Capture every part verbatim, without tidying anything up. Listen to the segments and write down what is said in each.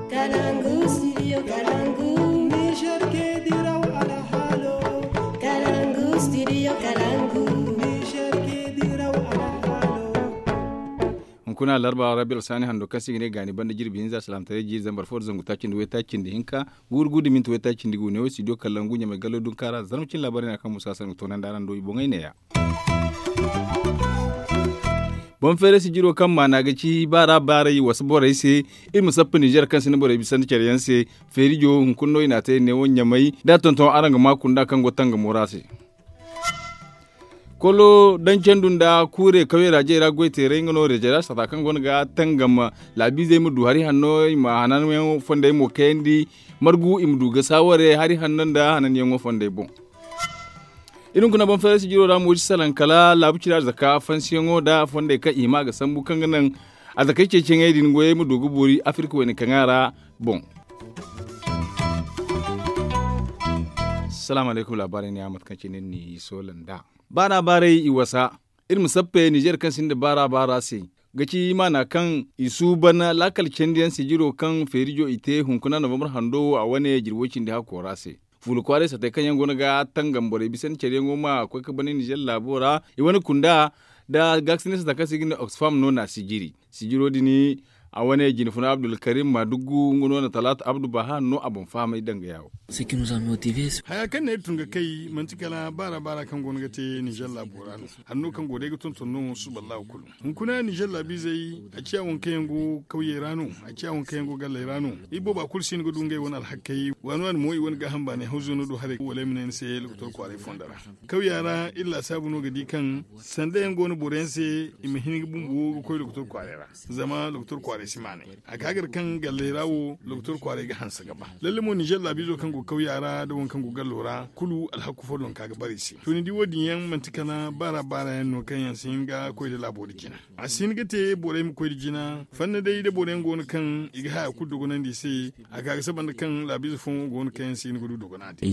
Kalangu studio kalangu. Niger ke diraw alhalo. Kalangu studio kalangu. Niger ke diraw alhalo. Hunkuna larba rabil sani hando kaŋ se i ga ne gaani banda jirbi hinza salaamtaray jiiri zambar fo da zangu taaci nda way taaci nda hinka, guuru guuru da minti way taaci nda gu ne wo studio kalangu ɲamay gallo dunkaara zarma cin laabaray na kaŋ musa sangu toonandi araŋ do i boŋey neeya. Boŋ feeray sijiro kaŋ maana ga ci baara baaray wasa borey se. Iri ma sappa nizer kaŋ sinda borey bisandi care yaŋ se. Feerijo hunkuna no i n'a te neewo ɲamay da tonton araŋ ga ma kunda kaŋ go tangamo ra se. Kolo daŋ candu nda kuure kawey ra jey ra goy teeray nga no reje ra sata kaŋ go no ga tangam. Laabiizey ma du hari hanno i ma hananyaŋo fondey mo kayandi. Margu i ma du ga saaware hari hanno nda hananyaŋo fondey boŋ. Iri hunkuna boŋ feeray sijiro ra mo si salaŋ kala laabu cira zaka fansiyaŋo nda fondey kaŋ i hima ga sambu kaŋ ga naŋ a zakey ceeciyaŋey din goyey ma du ga boori afirka wayna kaŋa ra. Boŋ. Salaamu alaykum laabaarey ne a mate kaŋ cine ni soola nd'a. Baana baaray i wasa. Iri ma sappe nizer kaŋ sinda baara baara se ga ci maana kaŋ i suuban laakal candiyaŋ sijiro kaŋ feerijo i te hunkuna novambar hando wo a wane jirwo cindi hakko ra se. Fuula kwaaray satey kaŋ yaŋ go no ga tangam borey bisandi care yaŋo ma koy ga bana nizer laabo ra i wane kunda. Da gaakasinay sata kaŋ se i ga ne oxfam no na sijiri sijiro din. A wane jinfuna abdulkarim maadugu nga no na talaata abdu baha no a boŋ fahamay danga yaawo. Haya kaŋ ne iri tun ga kay manti kala baara baara kaŋ go no ga te nizer laabo ra no. Hanno kaŋ go day ga tonton no suba allahu kulu. Hunkuna nizer laabiizey a ciya waŋ kaŋ yaŋ go kawyey ra no. A ciya waŋ kaŋ yaŋ go galley ra no. Iri booba kulu si hin ga du ngey wane alhakey waani waani mo i wane gaaham baanay hawzo no do haray wala ay ma ne ni se lokotor kwaaray fondo ra. Kawya ra iri laasaabu no ga di kaŋ sanda yaŋ go no boro yaŋ se i ma hin ga bumbo ga koy lokotor kwaaray ra. Zama lokotor kwaaray si maanay a ga gar kaŋ galley ra wo lokotor kwaaray ga hanse ga ba lalle mo nizer laabiizo kaŋ go kawya ra nda waŋ kaŋ go gallo ra kulu alhaku fo no ga ka ga bare i se. To ni di wo- din yaŋ manti kala baara baara yaŋ no kaŋ yaŋ si hin ga koy nda laabo nda jina. A si hin ga te borey ma koy nda jina fanna day nda boro yaŋ go no kaŋ i ga haya kulu dogonandi i se. A ga ga saba nda kaŋ laabiize fooyaŋ go no kaŋ yaŋ si hin ga du dogonandi.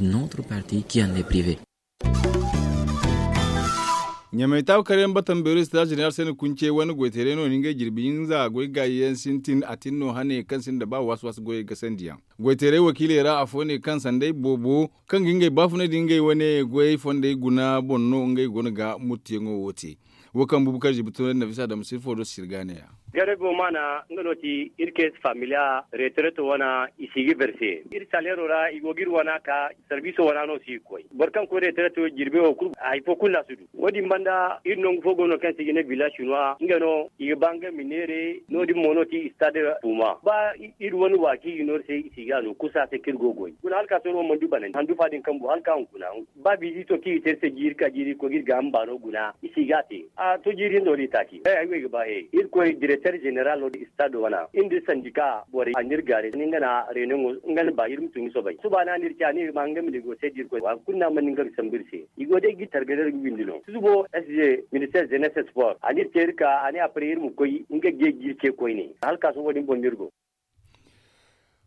Ɲamay taabu kar yaŋ batam beero sitaaz jeneral se na kunce wane goyteeray no na ngey jirbi hinza goy gaayi yaŋ sintin a tin no hane kaŋ sinda ba waasi waasi goyey gasandi yaŋ. Goyteeray wakiiley ra afo ne kaŋ sanday boobo kaŋ ga ngey baafunay da ngey wane goyey fondey guna boŋ no ngey go no ga muttuyaŋo wo te. Wo kaŋ bubakar zibi tunandi nafisa da ma sirfo do sirga ne ya. Gare go maana nga no ti iri kees familiya retereto wana i si ga berse iri saleero ra i go ga iri wana ka sarbiiso wana no si ga koy. Boro kaŋ koy retereto jirbe wo kulu hari fo kulu no a si du. Wo- din banda iri nangu fo go no kaŋ se i ga ne bila sinwa nga no i ga ba nga ma neere no- din mo no ti istade tuma ba iri wane waaki i ga no iri se i si ga no kusa se kaŋ iri go ga goy guna hala ka sohõ wo mana du banandi handu fa din kaŋ bu hala ka hunkuna. Ba biizi to kaŋ i ga te iri se jiiri ka jiiri koy ga iri gaaham baano guna i si ga a te. A to jiiri hinza wala i taaci he ay wo ay ga ba he iri koy direkter zeneral no da istado wana iri nda iri sandika borey a na iri gaari ni nga na reunion wo nga na ba iri ma tun ga soobay suba no a na iri ci a ne iri ma hanga ma negosiye da iri koy waati kulu no a mana hin ga ga sambu iri se. I go day ga iri targay da iri ga windi no susubo sg minister zenes sport a na iri te iri ka a ne apre iri ma koy nga ga ye ga iri ce koyne hala ka sohõ wo- din boŋ no iri go.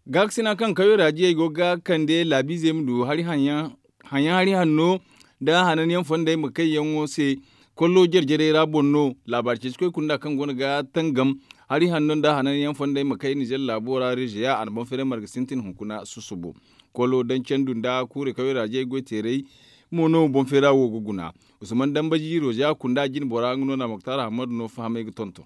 Gaakasina kaŋ kawyo raajiyey go ga kande laabiizey ma du hari haŋyaŋ hari hanno nda hananyaŋ fondey ma kayyaŋo se. Kollo jare-jarey ra boŋ no laabaari ceeci koy kunda kaŋ go no ga tangam hari hanno nda hananyaŋ fondey ma kay nizer laabo ra rezeya a na boŋ feeray marga sintin hunkuna susubo. Kollo daŋ candu nda kuure kawyo raajiyey goyteeray mo no boŋ feera wo ga guna. Usman dambaji rozeya kunda jine bora nga no na moktar ahamadu no fahamay ga tonton.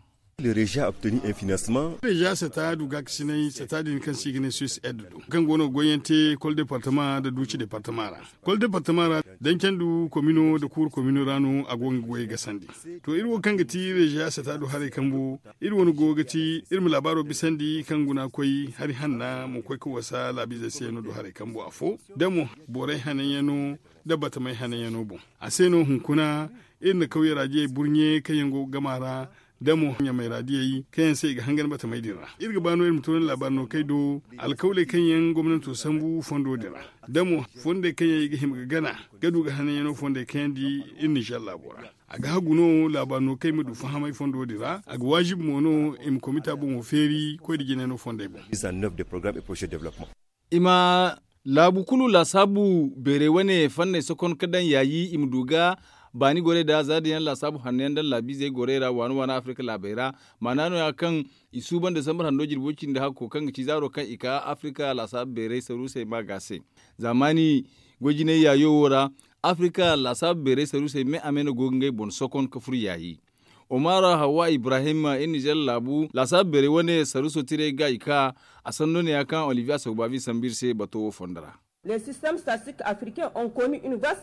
Rezeya sata du gaakasinay sata din kaŋ se i ga ne suis ed do kaŋ go no ga goyyaŋ te kol departama nda duuci departama ra. Kol departama ra daŋ candu komino nda kuuru komino ra no a go ga goyey gasandi. To iri wo kaŋ ga ti rezeya sata du haray kambu iri wane go ga ti iri ma laabaaro bisandi kaŋ guna koy hari hanna ma koy ga wasa laabiizey se no du haray kambu afo da mo borey hananyaŋo nda batamey hananyaŋo boŋ. A se no hunkuna iri na kawye raadiyey burɲe kaŋ yaŋ go ga gama ra da mo ɲamay raadiyey kaŋ yaŋ se i ga hangan batamey din ra iri ga ba no iri ma to ni laabaari no kay do alkawley kaŋ yaŋ gomnanto sambu fondo din ra da mo fondey kaŋ yaŋ i ga hima ga gana ga du ga hananyaŋo fondey kayandi iri nizer laabo ra. A ga hagu no laabaari no kay ma du fahamay fondo din ra a ga waajibi mo no i ma komita boŋo feeri koy da jinay no fondey boŋ. I ma laabu kulu laasaabu beeray wane fanney sokon ga daŋ yaayi i ma du ga Baani gorey da zaada yaŋ laasaabu hanno yaŋ daŋ laabiizey gorey ra waani waani afirka laabey ra. Maana no- ya kaŋ i suuban desambar hando jirbo cindi hakko kaŋ ga ci zaaro kaŋ i ka afirka laasaabu beeray saruusey ma ga se. Zaamaani goy jinay yaayo wo ra, afirka laasaabu beeray saruusey me a me no go ga ngey boŋ sokon ka fur yaayi. Omar hawwa ibrahim, iri nizer laabu laasaabu beeray wane saruuso tiray ga i ka. A sanno ne- ya kaŋ olivier asogbabi sambu iri se bato wo fondo ra.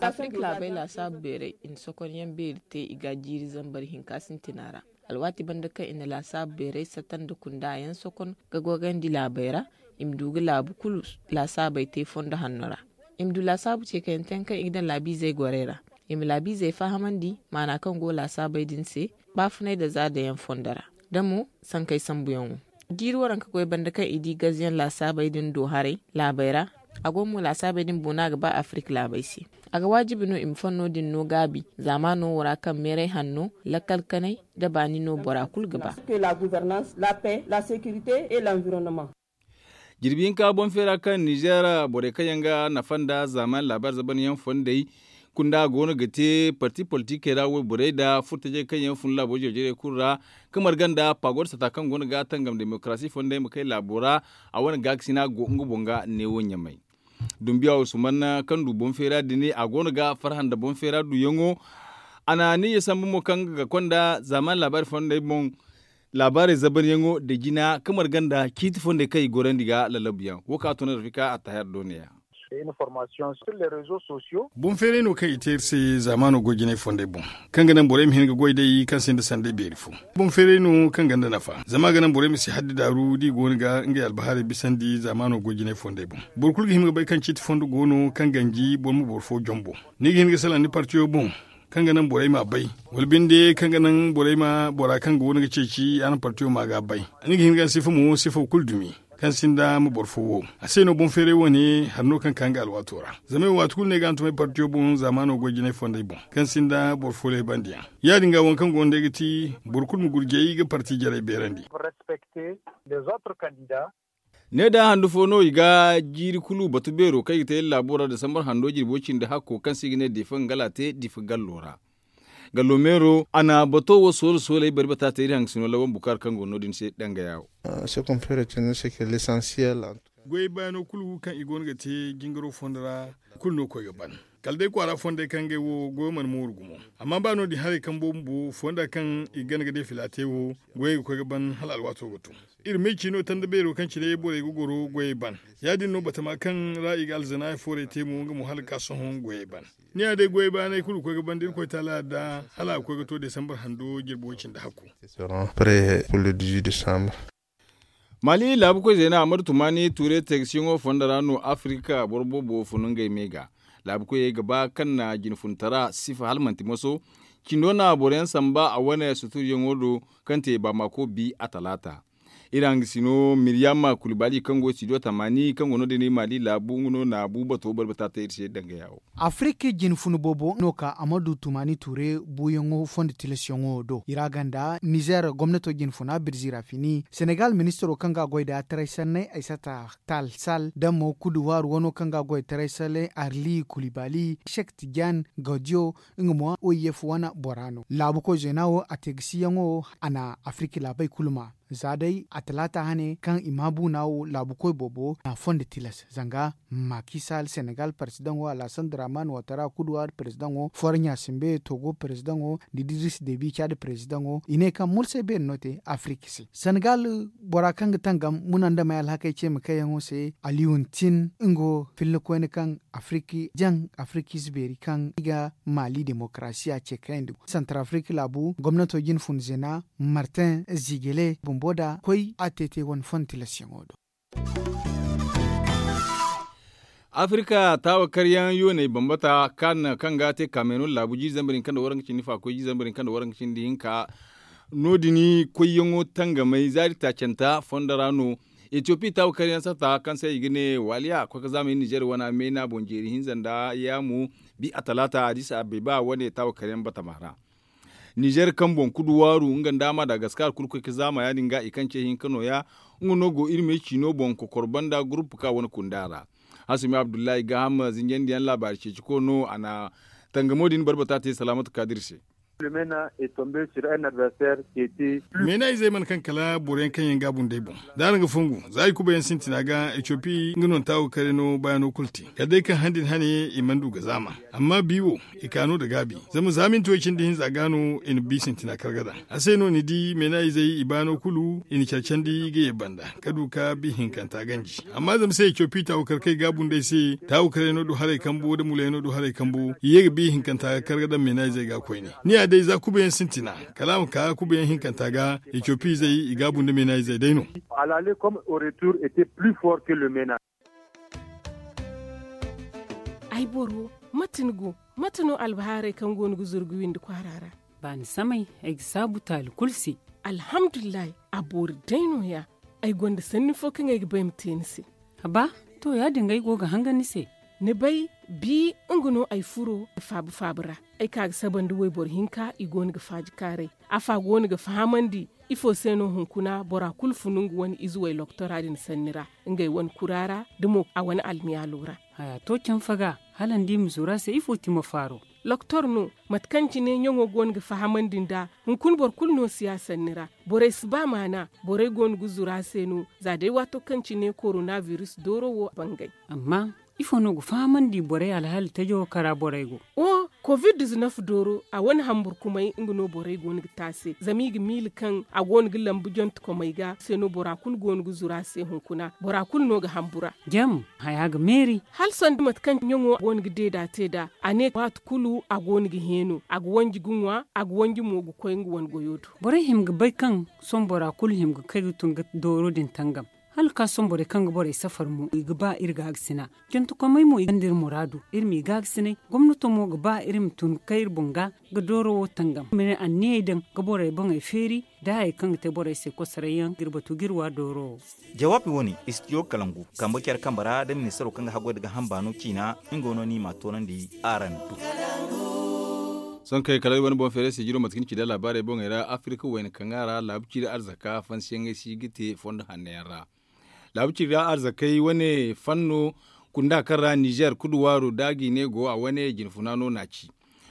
Afirka laabey laasaabu beeray i na sokon yaŋ beeri te i ga jiiri zambar hinka sintina ra. Alwaati banda kaŋ i na laasaabu beeray sata nda kunda yaŋ sokon ga goyandi laabey ra, i ma du ga laabu kulu laasaabey te fondo hanno ra. I ma du laasaabu ceekayante yaŋ kaŋ i ga daŋ laabiizey gorey ra. I ma laabiizey fahamandi maana kaŋ go laasaabey din se, baafunay nda zaada yaŋ fondo ra, da mo sankey sambuyaŋo. Jiiri waranka goy banda kaŋ i di gazyaŋ laasaabey din do haray laabey ra. A go mo laasaabey din boona ga ba afirka laabey se. A ga waajibi no i ma fanno din no gaabi zaamaano wo ra kaŋ meeray hanno, lakkal kanay nda baani no bora kulu ga ba. Jirbi hinka boŋ feera kaŋ nizer borey kaŋ yaŋ ga nafa nda zaaman laabaari zabanyaŋ fondey kunda go no ga te parti politikey ra wayborey nda furtajey kaŋ yaŋ fun laabo jare-jarey kulu ra, ka marga nda pagor sata kaŋ go no ga tangam demokarasi fondey ma kay laabo ra. A wane gaakasina go nga boŋ ga neewo ɲamay. Dumbiya wo sumanna kaŋ du boŋ feera din a go no ga farhã nda boŋ feera duyaŋo. A na niiya sambu mo kaŋ ga konda zaaman laabaari fondey boŋ. Laabaarey zabanyaŋo nda jina ka marga nda ciiti fondey kaŋ i gorandi ga lalabuyaŋ wo kaŋ a tun rafika attahir do ne ya. Boŋ feeray no kaŋ i te iri se zaamaano goy jinay fondey boŋ, kaŋ ga naŋ borey ma hin ga goy day kaŋ sinda sanday beeri fo. Boŋ feeray no kaŋ gonda nafa zama a ga naŋ borey ma si haddi daaru da i go no ga ngey albahaarey bisandi zaamaano goy jinay fondey boŋ. Boro kulu ga hima ga bay kaŋ ciiti fondo go no kaŋ ganji boro ma boro fo jombo. Ni ga hin ga salaŋ ni partiyo boŋ, kaŋ ga naŋ borey m'a bay, wala binde kaŋ ga naŋ borey ma bora kaŋ go no ga ceeci a na partiyo ma ga bay. Ni ga hin ga sifa mo sifa kulu dumi, kaŋ sinda ma boro fo wo. A se no boŋ feeray wane hari no kaŋ ka nga alwaato ra. Zama ay waati kulu no ay ga hantumay partiyo boŋ zaamaano goy jinay fondey boŋ, kaŋ sinda boro fo leebandiyaŋ. Ya- din ga waŋ kaŋ go no day ga ti boro kulu ma gurjay ga parti jarey beerandi. Ne da handu fo no i ga jiiri kulu batu beero kaŋ i ga te iri laabo ra desambar hando jirbo cindi hakko kaŋ se i ga ne difa ngala te difa gallo ra. Gallo meero a na bato wo soolo sooley bari bata te iri hangasino lawan bukaar kaŋ go no- din se dangaya wo. Goyey baano kulu kaŋ i go no ga te jingaro fondo ra, kulu no koy ga ban. Kala day kwaara fondey kaŋ ngey wo goyo mana mooru gumo. Amma ba no- din haray kaŋ boobo fonda kaŋ i ga gana ga day fila te wo, goyey ga koy ga ban hala alwaato ga tun. Iri may ciino tanda beero kaŋ cine borey ga goro goyey ban. Ya- din no batama kaŋ ra i ga alzanaaya foorey te mo nga mo hala ga ka sohõ goyey ban. Ni ya day goyey baanay kulu ga koy ga ban da iri koy taala da hala a ga koy ga to desambar hando jirbo cindi hakku. Maali laabukoy zeena amadu tumaani tuure teegasiyaŋo fondo ra no afirika boro boobo funu ngey me ga. Laabukoyey ga ba kaŋ na jinfuntara sifa hala manti moso. Cindo na boroyaŋ samba a wane suturyaŋo do kaŋ te baamako bi a talaata. Iri hangasino miriyama kulibali kaŋ go studio tamaani kaŋ go no- din iri maali laabu nga no na buubato barbata te iri se dangaya wo. Afirika jinfuna boobo no ka amadu tumaani tuure buuyaŋo fondo tilasyaŋo do i ra ganda nizer gomnato jinfuna birzi ra fini senegal ministiro kaŋ ga a goy da taray sanney ay sata tal sal da mo kuduwaaru wano kaŋ ga a goy taray sanney arli kulibali sek tijan godiyo nga mo o i ye fu wane bora no laabukoy zeena wo a te ga siyaŋo a na afirika laabey kulu ma za day a talaata hane kaŋ i ma buuna wo laabukoy boobo na fondo tilas zanga makisal senegal paresidaŋo alhasan draman watara kuduwar paresidaŋo foroɲa simbe togo paresidaŋo da diris debi cad paresidaŋo i ne kaŋ mursay beeri no te afirika se senegal bora kaŋ ga tangam muna nda may alhakey ce ma kayyaŋo se aliyuntin nga wo filla koyne kaŋ afiriki jaŋ afiriki ize beeri kaŋ i ga maali demokarasiya ce kayandi santar afiriki laabu gomnato jine fun zena martin zigele bumbo da koy a te te wane fon tilasyaŋo do. Afirika taawa karyaŋ yooney bambata kaŋ ga te kamerun laabu jiiri zambar hinka nda waranka cindi fakoy jiiri zambar hinka nda waranka cindi hinka. No- din koyyaŋo tangamay zaari taacanta fondo ra no. Etiyopi taawa karyaŋ sata kaŋ se i ga ne waaliya koy ga zaama iri nizer wana meena boŋ jeeri hinza nda yaamu bi a talaata adis abeba wane taawa karyaŋ batama ra. Nizer kaŋ boŋ kudu waaru nga nda madagaskar kulu koy ga zaama ya- din ga i kaŋ ce hinka no- ya. Nga no go iri me ciino boŋ kokor banda gurupu kaŋ a wane kunda ra. Hasumi abdullahi gaaham zinjandiyaŋ laabaari ceeciko no a na Tangamo din barbata te salaamatu kaadir se. Meena izey mana kaŋ kala boro yaŋ kaŋ yaŋ ga a bundey boŋ, da araŋ ga fongu za i kuba yaŋ sintina ga etiyopi nga no nta wo kare no bayaano kulu te kala day kaŋ handi ni hane i mana du ga zaama. Amma bi wo i ka no nda gaabi, zama za minti way cindi hinza ga no i na bi sintina kar ga daŋ. A se no ni di meena izey i baano kulu i na care candi ga ye banda ka du ka bi hinkanta ganji. Amma zama se etiyopi taawu kar kaŋ i ga a bundey se, taawu karay no du haray kambo nda muley no du haray kambo i ye ga bi hinkanta ga kar ga daŋ meena izey ga koyne. Ni ya day za kuba yaŋ sintina kala a ma ka kuba yaŋ hinkanta ga. Etiyopi izey i ga a bunda meena izey day no. Ay boro, mate ni go? Mate no albahaarey kaŋ go no ga zuru ga windi kwaara ra? Baani samay, ay ga saabu taali kulu se. Alhamdulillahi, a boori day no- ya. Ay gonda sanni fo kaŋ ay ga bay ma te ni se. Haba, to ya- din ga ay go ga hangan ni se. Ni bay, bi nga no ay furo faabu faabu ra. Ay ka ga saba nda wayboro hinka i go no ga faaji kaaray. Afa go no ga fahamandi ifo se no hunkuna bora kulu funu nga wane ize way loktora din sanni ra, ngey wane kura ra, da mo a wane almiyaalo ra. Haya to canfa ga, hala ni di ma zuru a se ifo ti ma faaro? Loktor no, mate kaŋ cine ɲaŋo go no ga fahamandi nd'a. Hunkuna boro kulu no si ya sanni ra. Borey si ba maana. Borey go no ga zuru a se no, za day waato kaŋ cine korona biris dooro wo bangay. Amma ifo no ga fahamandi borey alhaali tajo wo kara borey go? O, covid diznef dooro a wane hamburkumay nga no borey go no ga te a se zama i ga miila kaŋ a go no ga lambu jontekomey ga se no bora kulu go no ga zuru a se hunkuna bora kulu no ga hambura. Jam, haya ga meeri. Hala sanda mate kaŋ ɲaŋo go no ga deeda te nd'a. A ne waati kulu a go no ga heeno a ga wanji ga ŋwa a ga wanji mo ga koy nga wane goyo do. Borey hima ga bay kaŋ sohõ bora kulu hima ga kay ga tun ga dooro din tangam. Hala ka sohõ borey kaŋ ga borey safar mo i ga ba iri gaagasina. Jantakomey mo i gonda iri muraadu. Iri m'i gaagasinay. Gomnato mo ga ba iri ma tun ga kay iri boŋ ga ga dooro wo tangam ma ne anniyey daŋ ga borey boŋey feeri. Da hayey kaŋ ga te borey se kosoray yaŋ ga iri batu ga iri wa dooro wo. Jawaabi wane istidiyo kalangu kambe care kambe ra da ministaro kaŋ ga haggoy nda gaaham baano ciina. Nga no no i m'a toonandi araŋ do. Sohõ kay kala iri wane boŋ feeray se jiro mate kaŋ ni ci nda laabaarey boŋey ra afirika wayna kaŋ a ra laabu ciiri arzaka fansiyaŋey si ga te fondo hanno yaŋ ra. Laabu ciiri ra arzakey wane fanno kunda kaŋ ra nizer kuduwaaro da a ga i ne go a wane jinfuna no n'a ci.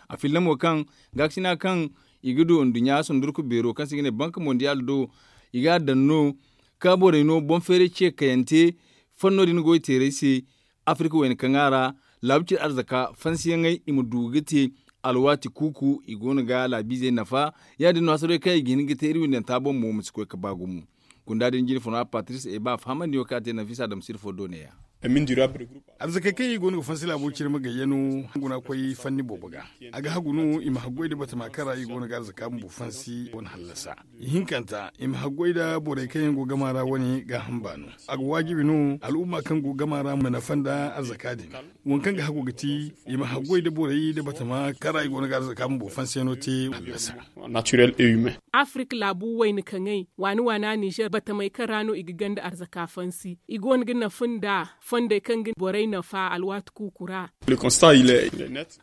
A filla mo kaŋ gaakasina kaŋ i ga du nduɲɲa sundurku beero kaŋ se i ga ne banka mondiyaal do i ga a daŋ no ka borey no boŋ feeray ce kayante. Fanno din goy teerey se afirika wayna kaŋ a ra laabu cire arzaka fansiyaŋey i ma du ga te alwaati kuuku i go no ga laabiizey nafa. Ya- din no hasarey kaŋ i ga hin ga te iri windanta boŋ mo ma si koy ga ba gumo. Kunda din jine funa patris eba fahamandi wo kaŋ a te nafisa dam sirfo do ne- ya. Arzakey kaŋ i go no ga fansi laabo cire ma gayya no guna koy fanni boobo ga. A ga hagu no i ma haggoy nda batama kaŋ ra i go no ga arzaka bumbo fansi wane hallasa. Ihinkanta i ma haggoy nda borey kaŋ yaŋ go gama ra wane gaaham baano. A ga waajibi no al'umma kaŋ go gama ra ma nafa nda arzaka din. Waŋ kaŋ ga hagu ga ti i ma haggoy nda borey nda batama kaŋ ra i go no ga arzaka bumbo fansiyaŋo te hallasa. Afirika laabu wayna kaŋey waani waana nizer batamey kaŋ ra no i ga ganda arzaka fansi i go no ga nafa nda fondey kaŋ ga borey nafa alwaati kuuku ra.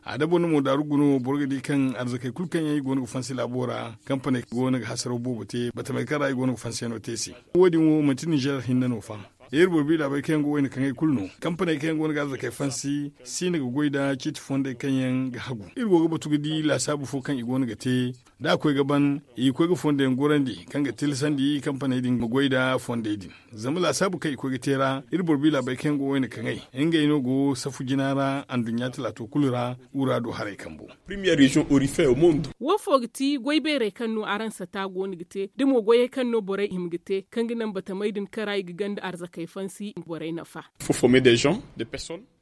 A dabo no mo daaru guno boro ga di kaŋ arzakey kulu kaŋ yaŋ i go no ga fansi laabo ra kampaney go no ga hasaraw boobo te batamey kaŋ ra i go no ga fansiyaŋo te se. Wo- din wo manti nizer hinne no fa. Iri boro bi laabey kaŋ yaŋ go wayna kaŋey kulu no kampaney kaŋ yaŋ go no ga arzakey fansi si no ga goy nda ciiti fondey kaŋ yaŋ ga hagu iri go ga batu ga di laasaabu fo kaŋ i go no ga te. Da a koy ga ban i ga koy ga fondo yaŋ gorandi kaŋ ga tilasandi kampaney din ma goy nda fondey din. Zama laasaabu kaŋ i koy ga te ra iri boro bi laabey kaŋ yaŋ go wayna kaŋey ngey no go safu jina ra anduɲɲa talaato kulu ra. Wura do haray kambo. Wo fo ga ti goy beerey kaŋ no araŋ sata go no ga te da mo goyey kaŋ no borey hima ga te kaŋ ga naŋ batamey din kaŋ ra i ga ganda arzakey fansi borey nafa.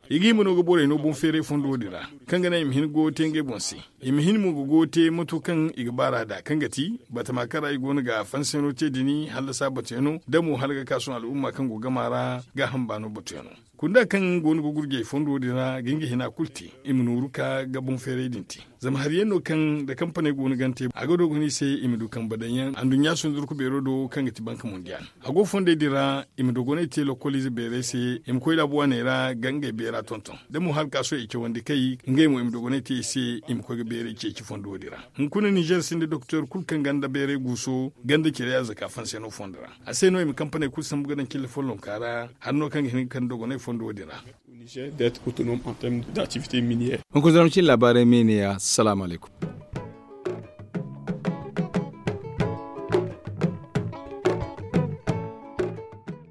I ga hima no ga borey no boŋ feeray fondo din ra kaŋ ga naŋ i ma hin ga goyo te ngey boŋ se. I ma hin mo ga goyo te mato kaŋ i ga baar'a nd'a kaŋ ga ti batama kaŋ ra i go no ga fansiyaŋo te din hallasa batuyaŋo da mo hala ga ka sohõ al'umma kaŋ go gama ra gaaham baano batuyaŋo. Kunda kaŋ go no ga gurjey fondo din ra ga nga hina kulu te i ma nooru ka ga boŋ feeray din te. Zama hari yaŋ no kaŋ da kampaney go no gante a ga dogonay se i ma du kambe daŋ yaŋ anduɲɲa sundurku beero do kaŋ ga ti banka mondiyaal. A go fondey din ra i ma dogonay te lokkoliize beerey se i ma koy laabu waaney ra ga ngey beera tonton da mo hala ka sohõ i cawandi kay ngey mo i ma dogonay te i se i ma koy ga beerey ceeci fondo din ra. Hunkuna nizer sinda doktor kulu kaŋ ganda beerey guuso ganda cire arzaka fanse no fondo ra. A se no i ma kampaney kulu sambu ga daŋ cille follonka ra hari no kaŋ ga hin ga kande dogonay fondo din ra. Hunkuna zama cine laabaarey meene ya salaamu alaykum.